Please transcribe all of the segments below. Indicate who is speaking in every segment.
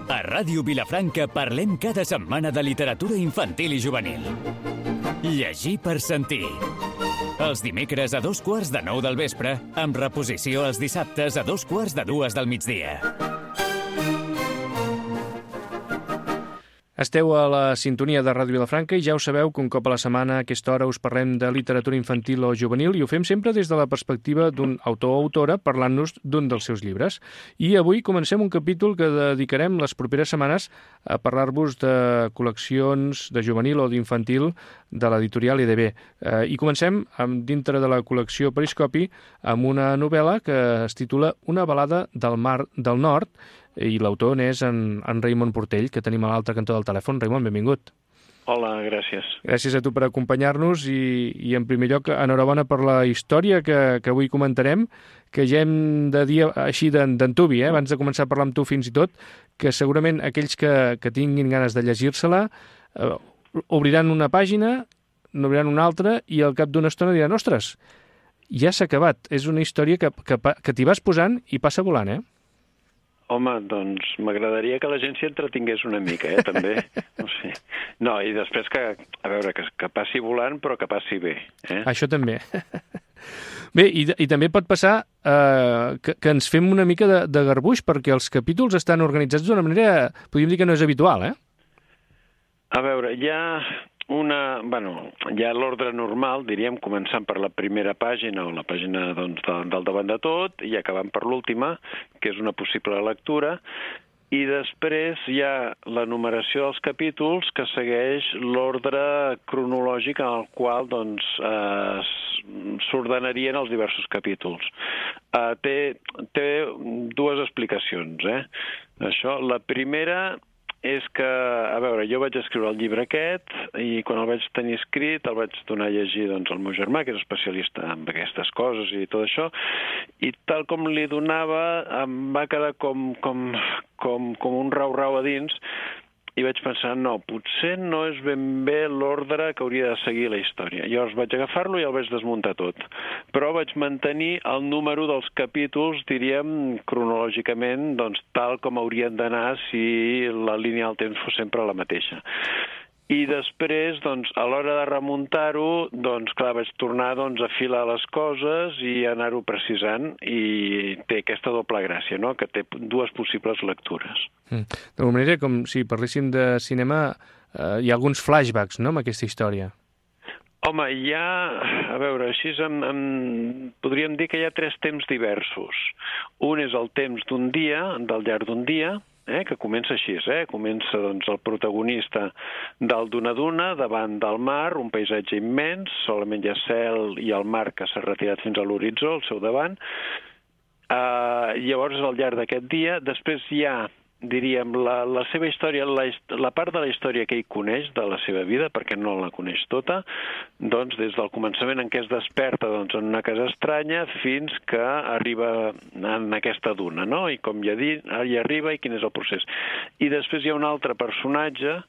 Speaker 1: A Ràdio Vilafranca parlem cada setmana de literatura infantil i juvenil. Llegir per sentir. Els dimecres a 8:45 del vespre, amb reposició els dissabtes a 2:45 del migdia.
Speaker 2: Esteu a la sintonia de Ràdio Vilafranca i ja ho sabeu que un cop a la setmana a aquesta hora us parlem de literatura infantil o juvenil i ho fem sempre des de la perspectiva d'un autor o autora parlant-nos d'un dels seus llibres. I avui comencem un capítol que dedicarem les properes setmanes a parlar-vos de col·leccions de juvenil o d'infantil de l'editorial EDB. I comencem dintre de la col·lecció Periscopi amb una novel·la que es titula Una balada del Mar del Nord, i l'autor n'és en Raimon Portell, que tenim a l'altre cantó del telèfon. Raimon, benvingut.
Speaker 3: Hola, gràcies.
Speaker 2: Gràcies a tu per acompanyar-nos i en primer lloc, enhorabona per la història que avui comentarem, que ja hem de dir així d'antubi, abans de començar a parlar amb tu fins i tot, que segurament aquells que tinguin ganes de llegir-se-la obriran una pàgina, n'obriran una altra i al cap d'una estona diran, ostres, ja s'ha acabat. És una història que t'hi vas posant i passa volant, eh?
Speaker 3: Home, doncs m'agradaria que la gent s'hi entretingués una mica, també. No sé. No, i després a veure, que passi volant, però que passi bé.
Speaker 2: Això també. Bé, i també pot passar que ens fem una mica de garbuix, perquè els capítols estan organitzats d'una manera, podríem dir que no és habitual, eh?
Speaker 3: A veure, hi ha l'ordre normal, diríem, començant per la primera pàgina o la pàgina del davant de tot i acabant per l'última, que és una possible lectura, i després hi ha la numeració dels capítols que segueix l'ordre cronològic en el qual s'ordenarien els diversos capítols. Té dues explicacions, Això, la primera és que, a veure, jo vaig escriure el llibre aquest i quan el vaig tenir escrit el vaig donar a llegir al meu germà, que és especialista en aquestes coses i tot això, i tal com li donava em va quedar com un rau-rau a dins i vaig pensar, no, potser no és ben bé l'ordre que hauria de seguir la història. Llavors vaig agafar-lo i el vaig desmuntar tot. Però vaig mantenir el número dels capítols, diríem, cronològicament, tal com haurien d'anar si la línia del temps fos sempre la mateixa. I després, a l'hora de remuntar-ho, clar, vaig tornar a afilar les coses i anar-ho precisant, i té aquesta doble gràcia, no?, que té dues possibles lectures.
Speaker 2: D'alguna manera, com si parléssim de cinema, hi ha alguns flashbacks, no?, amb aquesta història.
Speaker 3: Home, a veure, així podríem dir que hi ha tres temps diversos. Un és el temps d'un dia, del llarg d'un dia, que comença així, comença el protagonista dalt d'una duna, davant del mar, un paisatge immens, solament hi ha cel i el mar que s'ha retirat fins a l'horitzó, al seu davant. Llavors, al llarg d'aquest dia, després hi ha, diríem, la seva història, la part de la història que ell coneix de la seva vida, perquè no la coneix tota, des del començament en què es desperta en una casa estranya fins que arriba en aquesta duna, no? I com ja dic, hi arriba i quin és el procés. I després hi ha un altre personatge,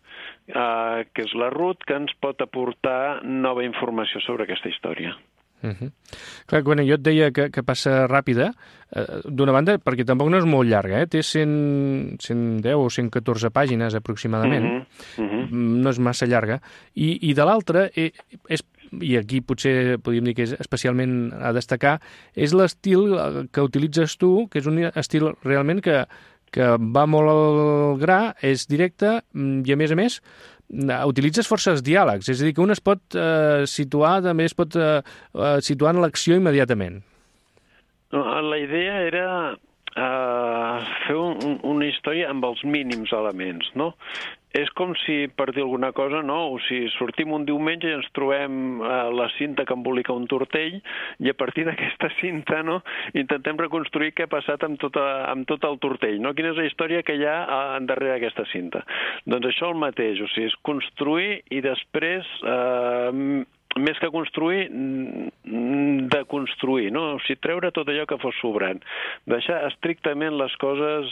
Speaker 3: que és la Ruth, que ens pot aportar nova informació sobre aquesta història.
Speaker 2: Clar, quan jo et deia que passa ràpida, d'una banda, perquè tampoc no és molt llarga, té 110 o 114 pàgines aproximadament, no és massa llarga, i de l'altra, i aquí potser podríem dir que és especialment a destacar, és l'estil que utilitzes tu, que és un estil realment que va molt al gra, és directe, i a més, utilitzes forces diàlegs, és a dir, que un es pot situar, també es pot situar en l'acció immediatament.
Speaker 3: La idea era fer una història amb els mínims elements, no? És com si, per dir alguna cosa, no? O sigui, sortim un diumenge i ens trobem la cinta que embolica un tortell i a partir d'aquesta cinta, no?, intentem reconstruir què ha passat amb tot el tortell, no? Quina és la història que hi ha darrere d'aquesta cinta. Doncs això el mateix, o sigui, és construir i després, més que construir, deconstruir, no? O sigui, treure tot allò que fos sobrant. Deixar estrictament les coses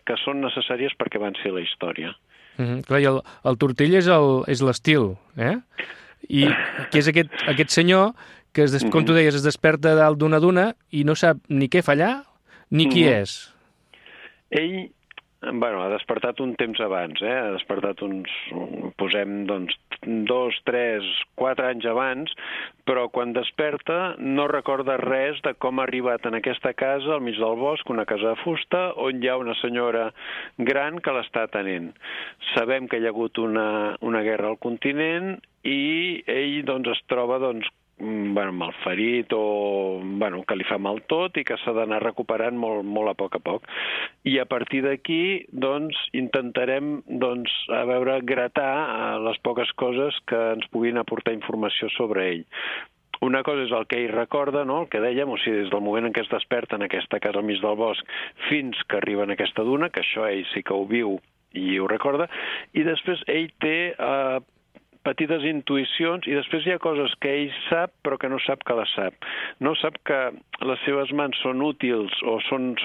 Speaker 3: que són necessàries perquè avanci la història.
Speaker 2: Clar, i el tortell és l'estil, i que és aquest senyor que, com tu deies, es desperta dalt d'una duna i no sap ni què fa allà ni qui és.
Speaker 3: Ell, bueno, ha despertat un temps abans, ha despertat posem, doncs, 2, 3, 4 anys abans, però quan desperta no recorda res de com ha arribat en aquesta casa al mig del bosc, una casa de fusta, on hi ha una senyora gran que l'està atenent. Sabem que hi ha hagut una guerra al continent i ell doncs, es troba malferit o que li fa mal tot i que s'ha d'anar recuperant molt a poc. I a partir d'aquí intentarem gratar les poques coses que ens puguin aportar informació sobre ell. Una cosa és el que ell recorda, no? El que dèiem, o sigui, des del moment en què es desperta en aquesta casa al mig del bosc fins que arriba en aquesta duna, que això ell sí que ho viu i ho recorda, i després ell té petites intuïcions i després hi ha coses que ell sap però que no sap que les sap. No sap que les seves mans són útils o són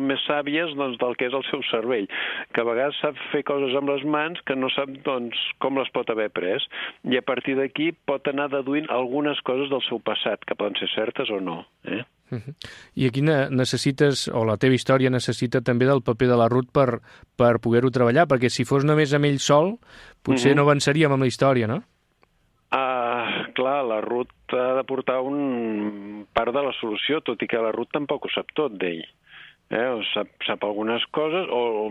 Speaker 3: més sàvies del que és el seu cervell, que a vegades sap fer coses amb les mans que no sap com les pot haver pres i a partir d'aquí pot anar deduint algunes coses del seu passat que poden ser certes o no.
Speaker 2: I aquí necessites, o la teva història necessita també del paper de la Ruth per poder-ho treballar, perquè si fos només amb ell sol, potser no avançaríem amb la història, no?
Speaker 3: Clar, la Ruth ha de portar un part de la solució, tot i que la Ruth tampoc ho sap tot d'ell. Sap algunes coses, o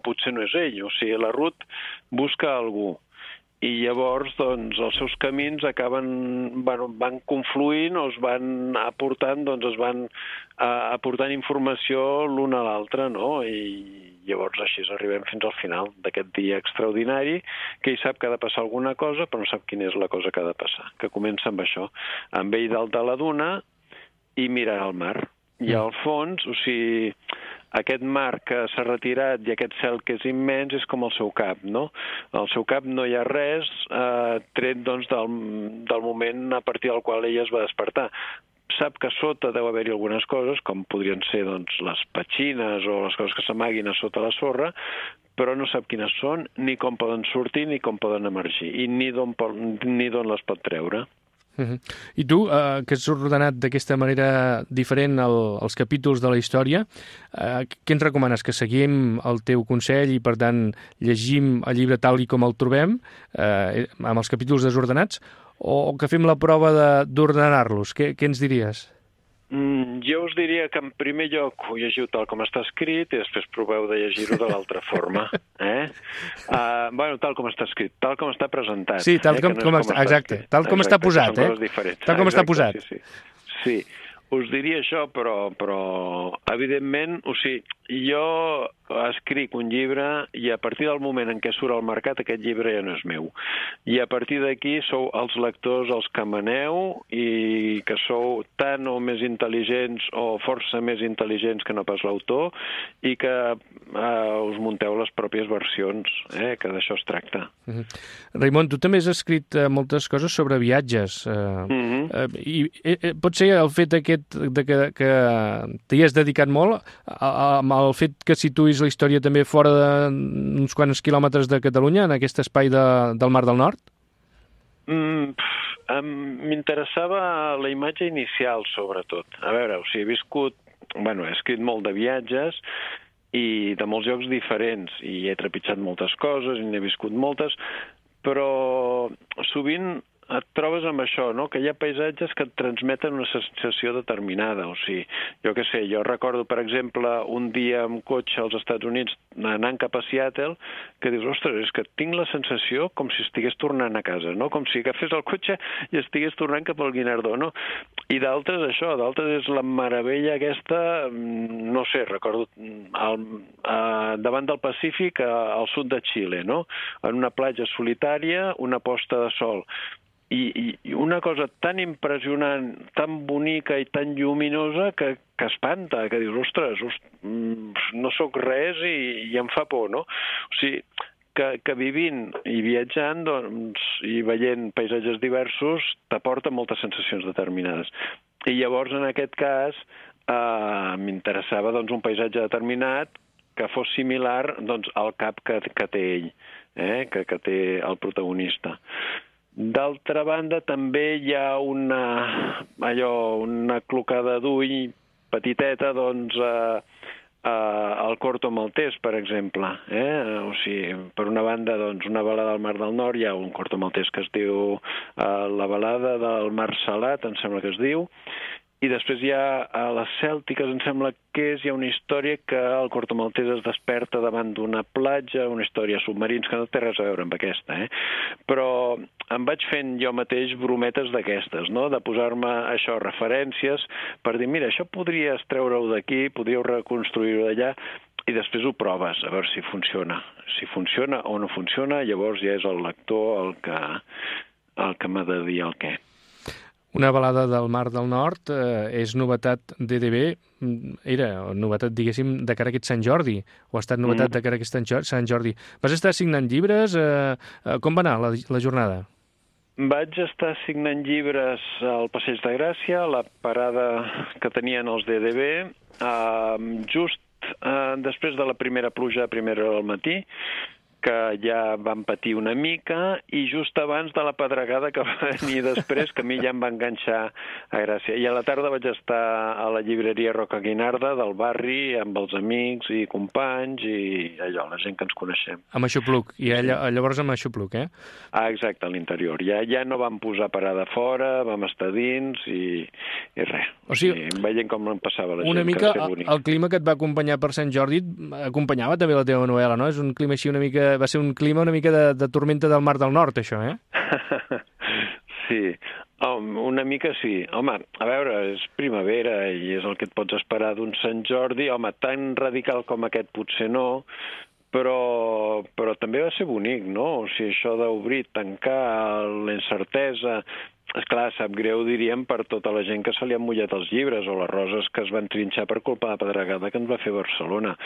Speaker 3: potser no és ell. O sigui, la Ruth busca algú. I llavors, els seus camins van confluint o es van aportant, aportant informació l'un a l'altre, no? I llavors així arribem fins al final d'aquest dia extraordinari, que ell sap que ha de passar alguna cosa, però no sap quina és la cosa que ha de passar, que comença amb això, amb ell dalt de la duna i mirar al mar. I al fons, o sigui, aquest mar que s'ha retirat i aquest cel que és immens és com el seu cap, no? Al seu cap no hi ha res tret del moment a partir del qual ella es va despertar. Sap que sota deu haver-hi algunes coses, com podrien ser les petxines o les coses que s'amaguin a sota la sorra, però no sap quines són, ni com poden sortir, ni com poden emergir, i ni d'on les pot treure.
Speaker 2: I tu, que has ordenat d'aquesta manera diferent els capítols de la història, què ens recomanes? Que seguim el teu consell i, per tant, llegim el llibre tal i com el trobem, amb els capítols desordenats, o que fem la prova d'ordenar-los? Què ens diries?
Speaker 3: Jo us diria que en primer lloc ho llegiu tal com està escrit i després proveu de llegir-ho de l'altra forma. Tal com està escrit, tal com està presentat.
Speaker 2: Sí, tal com exacte, tal com està posat. Tal com està posat.
Speaker 3: Sí, us diria això, però evidentment, o sigui, jo escric un llibre i a partir del moment en què surt al mercat aquest llibre ja no és meu. I a partir d'aquí sou els lectors els que maneu i que sou tan o més intel·ligents o força més intel·ligents que no pas l'autor i que us munteu les pròpies versions, que d'això es tracta.
Speaker 2: Raimon, tu també has escrit moltes coses sobre viatges. I pot ser el fet aquest que t'hi has dedicat molt amb el fet que situïs la història també fora d'uns quants quilòmetres de Catalunya, en aquest espai del Mar del Nord?
Speaker 3: M'interessava la imatge inicial, sobretot. A veure, o sigui, he escrit molt de viatges i de molts llocs diferents, i he trepitjat moltes coses, i n'he viscut moltes, però sovint et trobes amb això, no? Que hi ha paisatges que et transmeten una sensació determinada. O sigui, jo què sé, jo recordo, per exemple, un dia amb cotxe als Estats Units anant cap a Seattle, que dius, ostres, és que tinc la sensació com si estigués tornant a casa, no? Com si agafés el cotxe i estigués tornant cap al Guinardó, no? I d'altres, això, d'altres és la meravella aquesta, no sé, recordo davant del Pacífic, al sud de Xile, no? En una platja solitària, una posta de sol. I una cosa tan impressionant, tan bonica i tan lluminosa que espanta, que dius, ostres, no sóc res i em fa por, no? O sigui, que vivint i viatjant i veient paisatges diversos t'aporta moltes sensacions determinades. I llavors, en aquest cas, m'interessava un paisatge determinat que fos similar al cap que té ell, que té el protagonista. D'altra banda, també hi ha una clocada d'ull petiteta, Corto Maltès, per exemple. O sigui, per una banda, doncs, una balada al Mar del Nord, hi ha un Corto Maltès que es diu La balada del Mar Salat, em sembla que es diu, i després hi ha a les Cèltiques, em sembla que hi ha una història que el Corto Maltès es desperta davant d'una platja, una història submarins, que no té res a veure amb aquesta, Però em vaig fent jo mateix brometes d'aquestes, no?, de posar-me això, referències, per dir, mira, això podries treure-ho d'aquí, podríeu reconstruir-ho d'allà, i després ho proves, a veure si funciona. Si funciona o no funciona, llavors ja és el lector el que m'ha de dir el què.
Speaker 2: Una balada del Mar del Nord és novetat d'EDB, era novetat, diguéssim, de cara a aquest Sant Jordi, o ha estat novetat de cara a aquest Sant Jordi. Vas estar signant llibres? Com va anar la jornada?
Speaker 3: Vaig estar signant llibres al Passeig de Gràcia, a la parada que tenien els d'EDB, just després de la primera pluja a primera hora del matí, que ja van patir una mica, i just abans de la pedregada que va venir després, que a mi ja em va enganxar a Gràcia. I a la tarda vaig estar a la llibreria Roca Guinarda del barri, amb els amics i companys, i allò, la gent que ens coneixem.
Speaker 2: Amb Aixopluc, i llavors amb Aixopluc,
Speaker 3: Exacte, a l'interior. Ja no vam posar parada fora, vam estar dins, i res. O sigui, veient com em passava la gent,
Speaker 2: una mica el clima que et va acompanyar per Sant Jordi acompanyava també la teva novel·la, no? És un clima així una mica... Va ser un clima una mica de tormenta del Mar del Nord, això,
Speaker 3: Sí, una mica sí. Home, a veure, és primavera i és el que et pots esperar d'un Sant Jordi. Home, tan radical com aquest potser no, però també va ser bonic, no? O sigui, això d'obrir, tancar, la incertesa... Esclar, sap greu, diríem, per tota la gent que se li han mullat els llibres o les roses que es van trinxar per culpa de la pedregada que ens va fer Barcelona.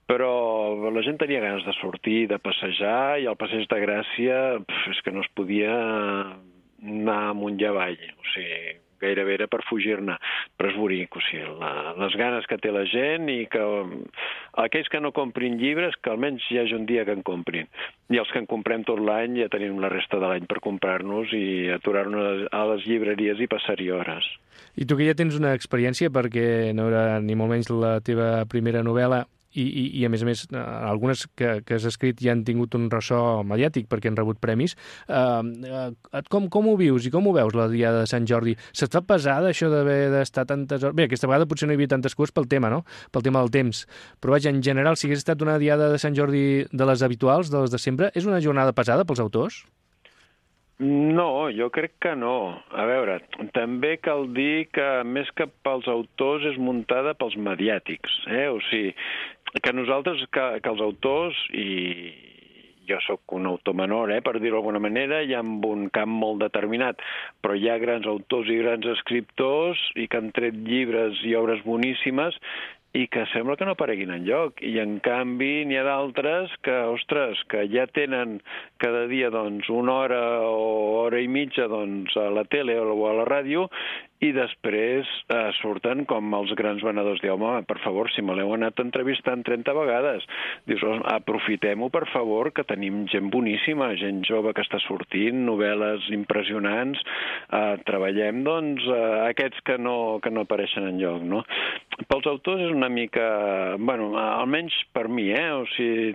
Speaker 3: Però la gent tenia ganes de sortir, de passejar, i al Passeig de Gràcia és que no es podia anar amunt i avall. O sigui, gairebé era per fugir-ne. Però és bonic, o sigui, les ganes que té la gent, i que aquells que no comprin llibres, que almenys hi hagi un dia que en comprin. I els que en comprem tot l'any ja tenim la resta de l'any per comprar-nos i aturar-nos a les llibreries i passar-hi hores.
Speaker 2: I tu que ja tens una experiència, perquè no era ni molt menys la teva primera novel·la, i a més, algunes que has escrit ja han tingut un ressò mediàtic perquè han rebut premis. Com ho vius i com ho veus la Diada de Sant Jordi? Se't fa pesada això d'haver d'estar tantes hores? Bé, aquesta vegada potser no hi havia tantes coses pel tema, no? Pel tema del temps. Però vaja, en general, si hagués estat una Diada de Sant Jordi de les habituals, de les de sempre, és una jornada pesada pels autors?
Speaker 3: No, jo crec que no. A veure, també cal dir que més que pels autors és muntada pels mediàtics, O sigui, que nosaltres, que els autors, i jo sóc un autor menor, per dir-ho d'alguna manera, i amb un camp molt determinat, però hi ha grans autors i grans escriptors i que han tret llibres i obres boníssimes i que sembla que no apareguin enlloc. I en canvi n'hi ha d'altres que, ostres, que ja tenen cada dia doncs una hora o hora i mitja doncs a la tele o a la ràdio, i després surten com els grans venedors. Diu, home, per favor, si me l'heu anat entrevistant 30 vegades, dius, aprofitem-ho, per favor, que tenim gent boníssima, gent jove que està sortint, novel·les impressionants, treballem, doncs, aquests que no apareixen enlloc, no? Pels autors és una mica, bueno, almenys per mi, o sigui,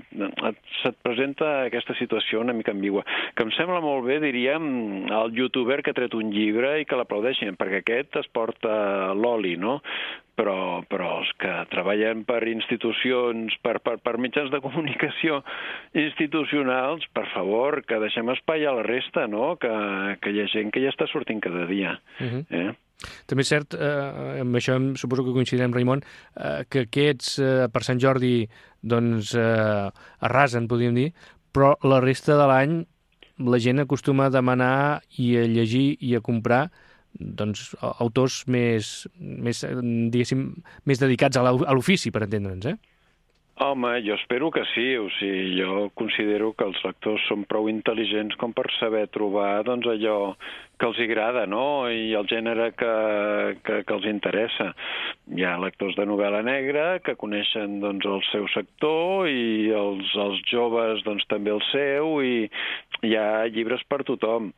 Speaker 3: se't presenta aquesta situació una mica ambigua, que em sembla molt bé, diríem, el youtuber que ha tret un llibre i que l'aplaudeixin, perquè aquest es porta l'oli, no? Però els que treballen per institucions, per mitjans de comunicació institucionals, per favor, que deixem espai a la resta, no? Que hi ha gent que ja està sortint cada dia.
Speaker 2: També és cert, amb això suposo que coincidirem, Raimon, que aquests per Sant Jordi doncs arrasen, podríem dir, però la resta de l'any la gent acostuma a demanar i a llegir i a comprar doncs autors més diguéssim, més dedicats a l'ofici, per entendre'ns,
Speaker 3: Home, jo espero que sí. O sigui, jo considero que els lectors són prou intel·ligents com per saber trobar doncs, allò que els agrada, no? I el gènere que els interessa. Hi ha lectors de novel·la negra que coneixen doncs, el seu sector, i els joves doncs, també el seu, i hi ha llibres per tothom.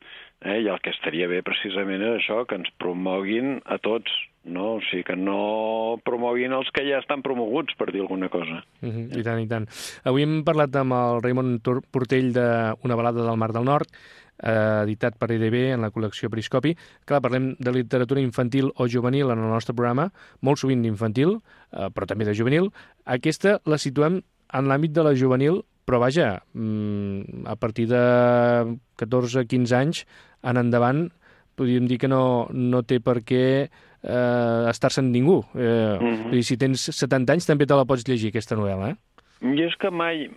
Speaker 3: I el que estaria bé precisament és això, que ens promoguin a tots, no? O sigui, que no promoguin els que ja estan promoguts, per dir alguna cosa.
Speaker 2: I tant, i tant. Avui hem parlat amb el Raimon Portell d'Una balada del Mar del Nord, editat per EDB en la col·lecció Periscopi. Clar, parlem de literatura infantil o juvenil en el nostre programa, molt sovint d'infantil, però també de juvenil. Aquesta la situem en l'àmbit de la juvenil, però vaja, a partir de 14-15 anys en endavant, podríem dir que no té per què estar-se amb ningú. Si tens 70 anys també te la pots llegir, aquesta novel·la,
Speaker 3: Jo és que mai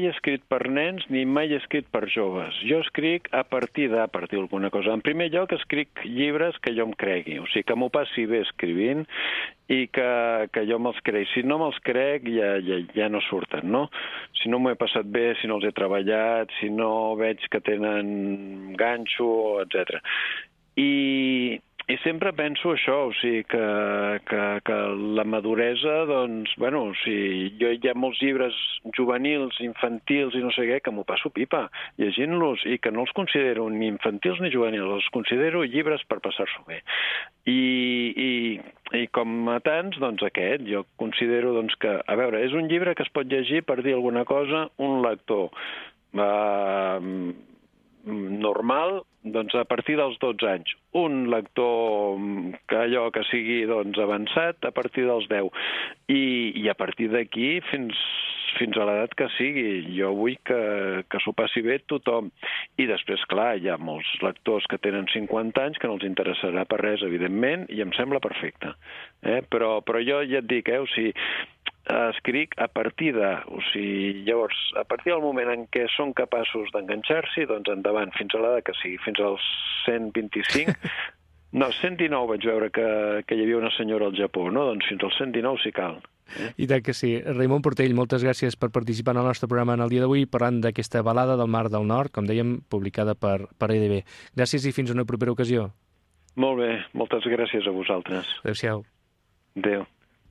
Speaker 3: he escrit per nens ni mai he escrit per joves. Jo escric a partir d'alguna cosa. En primer lloc, escric llibres que jo em cregui, o sigui, que m'ho passi bé escrivint i que jo me'ls crec. Si no me'ls crec, ja no surten, no? Si no m'ho he passat bé, si no els he treballat, si no veig que tenen ganxo, etc. I sempre penso això, o sigui, que la maduresa, doncs, bueno, o sigui, hi ha molts llibres juvenils, infantils i no sé què, que m'ho passo pipa llegint-los i que no els considero ni infantils ni juvenils, els considero llibres per passar-s'ho bé. I com a tants, doncs aquest, jo considero doncs, que, a veure, és un llibre que es pot llegir per dir alguna cosa, un lector normal, doncs a partir dels 12 anys. Un lector que sigui doncs, avançat a partir dels 10. I a partir d'aquí fins a l'edat que sigui. Jo vull que s'ho passi bé tothom. I després, clar, hi ha molts lectors que tenen 50 anys que no els interessarà per res, evidentment, i em sembla perfecte. Però jo ja et dic, o sigui, escric a partir de... O sigui, llavors, a partir del moment en què són capaços d'enganxar-s'hi, doncs endavant, fins a l'edat que sigui, fins als 125... No, 119 vaig veure que hi havia una senyora al Japó, no? Doncs fins als 119 si cal.
Speaker 2: I tant que sí. Raimon Portell, moltes gràcies per participar en el nostre programa en el dia d'avui, parlant d'aquesta balada del Mar del Nord, com dèiem, publicada per EDB. Gràcies i fins a una propera ocasió.
Speaker 3: Molt bé, moltes gràcies a vosaltres.
Speaker 2: Adéu-siau.
Speaker 3: Adéu.